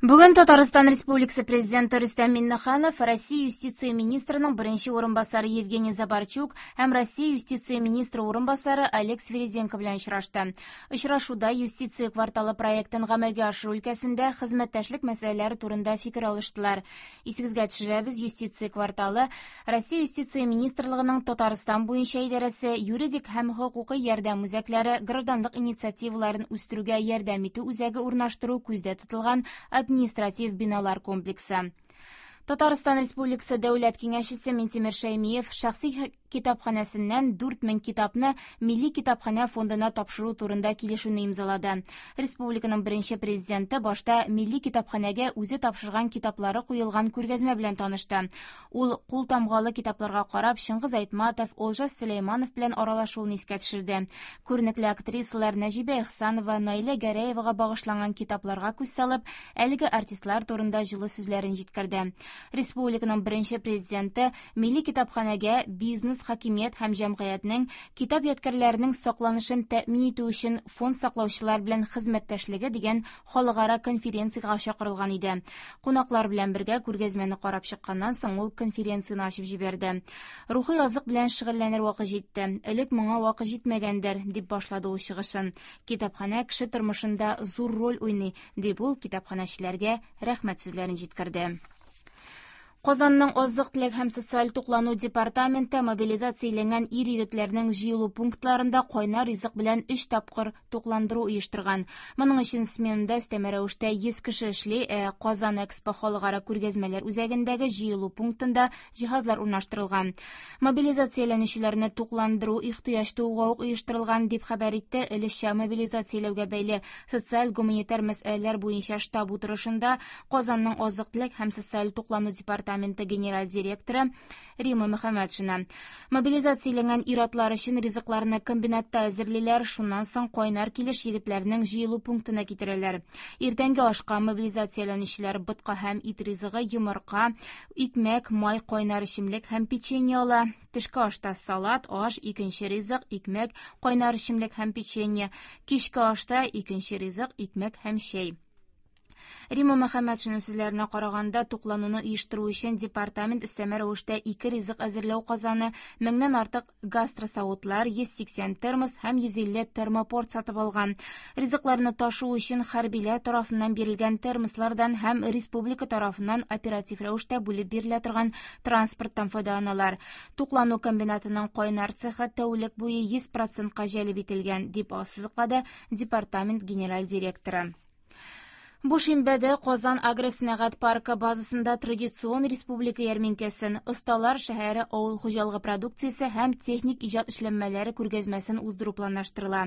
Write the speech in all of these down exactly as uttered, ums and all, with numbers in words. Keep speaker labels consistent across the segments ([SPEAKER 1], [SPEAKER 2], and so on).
[SPEAKER 1] Бүген Татарстан Республикасы Президенты Рөстәм Миңнеханов Россия юстиция министрының беренче урынбасары Евгений Забарчук һәм Россия юстиция министры урынбасары Олег Свириденко белән очрашты. Очрашуда юстиция кварталы проектын гамәлгә ашыру өлкәсендә хезмәттәшлек мәсьәләләре турында фикер алыштылар. Исегезгә төшерәбез, юстиция кварталы Россия юстиция министрлыгының Татарстан буенча идарәсе юридик һәм хокукый ярдәм үзәкләре гражданлык инициативаларын үстерүгә ярдәм итү үзәге урнаштыру күздә тотылган административ биналар комплексы. Татарстан Республикасы Дәүләт Киңәшчесе Минтимер Шәймиев шәхси китапханәсеннән дүрт мең китапны Милли китапханә фондына тапшыру турында килешүне имзалады. Республиканың беренче президенты башта Милли китапханәгә үзе тапшырган китаплары куелган күргәзмә белән танышты. Ул кул тамгалы китапларга карап Чыңгыз Айтматов, Олжас Сөләйманов белән аралашуын искә төшерде. Күренекле актрисалар Нәҗибә Ихсанова, Наилә Гәрәевага багышланган китапларга күз салып, әлеге артистлар турында җылы сүзләрен җиткерде. Республиканың беренче президенты Милли китапханәгә бизнес, хакимият һәм җәмгыятьнең китап ядкәрләренең сакланышын тәэмин итү өчен фонд саклаучылар белән хезмәттәшлеге дигән халыкара конференциягә чакырылган иде. Кунаклар белән бергә күргәзмәне карап чыкканнан соң ул конференцияне ачып җибәрде. Рухи азык белән шөгыльләнер вакыт җитте. Элек моңа вакыт җитмәгәндер, дип башлады ул чыгышын. Китапханә кеше тормышында зур роль уйный, дип ул китапханәчеләргә рәхмәт сүзләрен җиткерде. Казанның азык-төлек һәм социаль туклану департаменты мобилизацияләнгән ир-егетләрнең җыелу пунктларында кайнар ризык белән өч тапкыр тукландыру оештырган. Моның өчен сменада өстәмә рәвештә йөз кеше эшли, ә Казан Экспо халыкара күргәзмәләр үзәгендәге җыелу пунктында җиһазлар урнаштырылган. Мобилизацияләнүчеләрне тукландыру ихтыяҗ тууга ук оештырылган, дип хәбәр итте өлешчә мобилизацияләүгә бәйле социаль-гуманитар мәсьәләләр буенча штаб утырышында Казанның азык-төлек һәм социаль туклану департаменты генераль директоры Рима Мөхәммәтшина. Мобилизацияләнгән ир-атлар өчен ризыкларны комбинатта әзерлиләр, шуннан соң кайнар килеш егетләрнең җыелу пунктына китерәләр. Иртәнге ашка мобилизацияләнүчеләр ботка һәм ит ризыгы, йомырка, икмәк, май, кайнар эчемлек һәм печенье ала. Төшке ашта салат, аш, икенче ризык, икмәк, кайнар эчемлек һәм печенье. Кичке ашта икенче ризык, икмәк һәм чәй. Рима Мөхәммәтшина сүзләренә караганда, туклануны оештыру өчен департамент өстәмә рәвештә ике ризык әзерләү казаны, меңнән артык гастросавытлар, йөз сиксән термос һәм йөз илле термопорт сатып алган. Ризыкларны ташу өчен хәрбиләр тарафыннан бирелгән термослардан һәм республика тарафыннан оператив рәвештә бүлеп бирелә торган транспорттан файдаланалар. Туклану комбинатының кайнар цехы тәүлек буе йөз процентка җәлеп ителгән, дип ассызыклады департамент генераль директоры. Бу шимбәдә Казан агросәнәгать паркы базасында традицион республика ярминкәсен, Осталар шәһәре авыл хуҗалыгы продукциясе һәм техник иҗат эшләнмәләре күргәзмәсен уздыру планлаштырыла.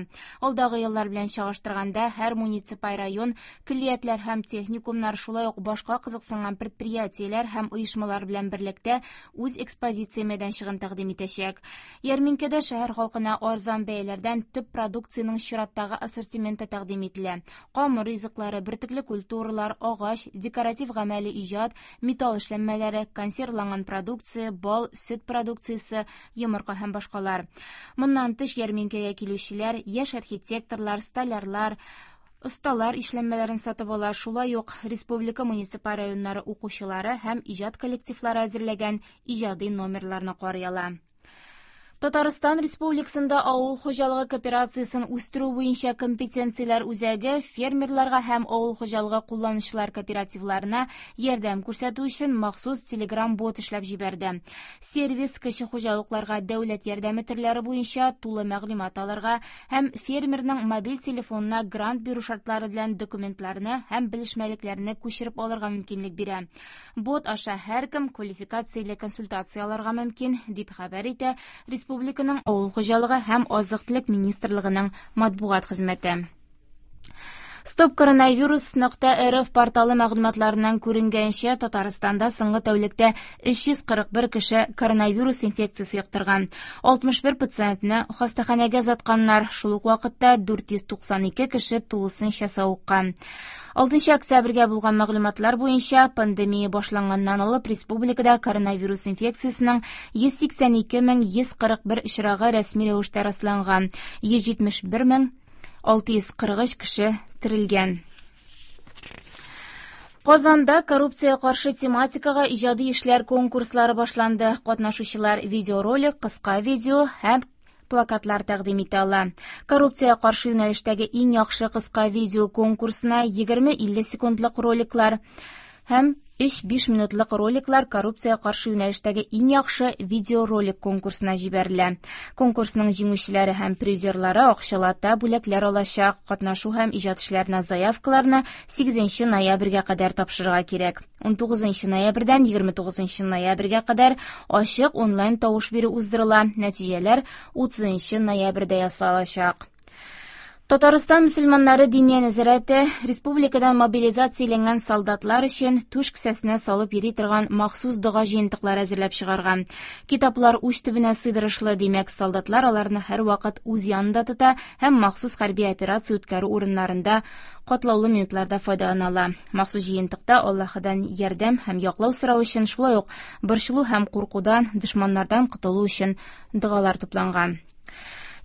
[SPEAKER 1] Алдагы еллар белән чагыштырганда һәр муниципаль район, көллиятләр һәм техникумнар, шулай ук башка кызыксынган предприятиеләр һәм оешмалар белән берлектә үз экспозиция мәйданчыгын тәкъдим итәчәк. Ярминкәдә шәһәр халкына арзан бәяләрдән төп продукциянең чираттагы ассортименты тәкъдим ителә. Камыр ризыклары, бөртекле культуралар, агач, декоратив гамәли иҗат, металл эшләнмәләре, консервланган продукция, бал, сөт продукциясе, йомырка һәм башкалар. Моннан тыш ярминкәгә килүчеләр, яшь архитекторлар, столярлар, осталар эшләнмәләрен сатып ала, шулай ук республика муниципаль районнары укучылары һәм иҗат коллективлары әзерләгән иҗади номерларны карый ала. Татарстан Республикасында авыл хуҗалыгы кооперациясен үстерү буенча компетенцияләр үзәге фермерларга һәм авыл хуҗалыгы кулланучылар кооперативларына ярдәм күрсәтү өчен махсус Telegram-бот эшләп җибәрде. Сервис кече хуҗалыкларга дәүләт ярдәме төрләре буенча тулы мәгълүмат алырга һәм фермерның мобиль телефонына грант бирү шартлары белән документларны һәм белешмәлекләрне күчереп алырга мөмкинлек бирә. Бот аша һәркем квалификацияле консультация алырга мөмкин, дип хәбәр итә Республиканың авыл хуҗалыгы һәм азык-төлек министрлыгының матбугат хезмәте. Стоп коронавирус нокта рф порталы мәгълүматларыннан күренгәнчә, Татарстанда соңгы тәүлектә өч йөз кырык бер кеше коронавирус инфекциясе йоктырган. алтмыш бер пациентны хастаханәгә озатканнар, шул ук вакытта дүрт йөз туксан ике кеше тулысынча савыккан. Алтынчы октябрьгә булган мәгълүматлар буенча пандемия башланганнан алып республикада коронавирус инфекциясенең йөз сиксән ике мең йөз кырык бер очрагы рәсми рәвештә расланган. йөз җитмеш бер мең алты йөз кырык өч кеше терелгән. Казанда коррупция каршы тематикага иҗади эшләр конкурслары башланды. Катнашучылар видеоролик, кыска видео һәм плакатлар тәкъдим итә ала. Коррупция каршы юнәлештәге иң яхшы кыска видео конкурсына егерме-илле секундлык роликлар һәм өч-биш минутлык роликлар коррупция каршы юнәлештәге иң яхшы видеоролик конкурсына җибәрелә. Конкурсның җиңүчеләре һәм призерлары акчалата бүләкләр алачак. Катнашу һәм иҗат эшләренә заявкаларны сигезенче ноябрьгә кадәр тапшырырга кирәк. Унтугызынчы ноябрьдән егерме тугызынчы ноябрьгә кадәр ачык онлайн тавыш бирү уздырыла. Нәтиҗәләр утызынчы ноябрьдә ясалачак. Татарстан мөселманнары диния нәзарәте республикадан мобилизацияләнгән солдатлар өчен түш кесәсенә салып йөри торган махсус дога җыентыклары әзерләп чыгарган. Китаплар уч төбенә сыйдырышлы, димәк, солдатлар аларны һәрвакыт үз янында тота һәм махсус хәрби операция үткәрү урыннарында катлаулы минутларда файдалана ала. Махсус җыентыкта Аллаһыдан ярдәм һәм яклау сорау өчен, шулай ук борчылу һәм куркудан, дошманнардан котылу өчен догалар тупланган.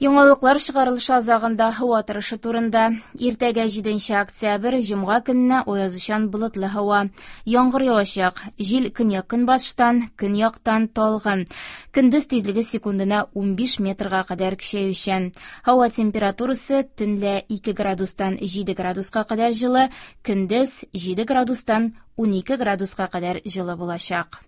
[SPEAKER 1] Яңалыклар чыгарылышы азагында һава торышы турында. Иртәгә җиденче октябрь, җомга көненә аязучан болытлы һава. Яңгыр явачак. Җил көньяк-көнбатыштан, көньяктан талгын. Көндез тизлеге секундына унбиш метрга кадәр көчәючән. Һава температурасы төнлә ике градустан җиде градуска кадәр җылы, көндез җиде градустан унике градуска кадәр җылы булачак.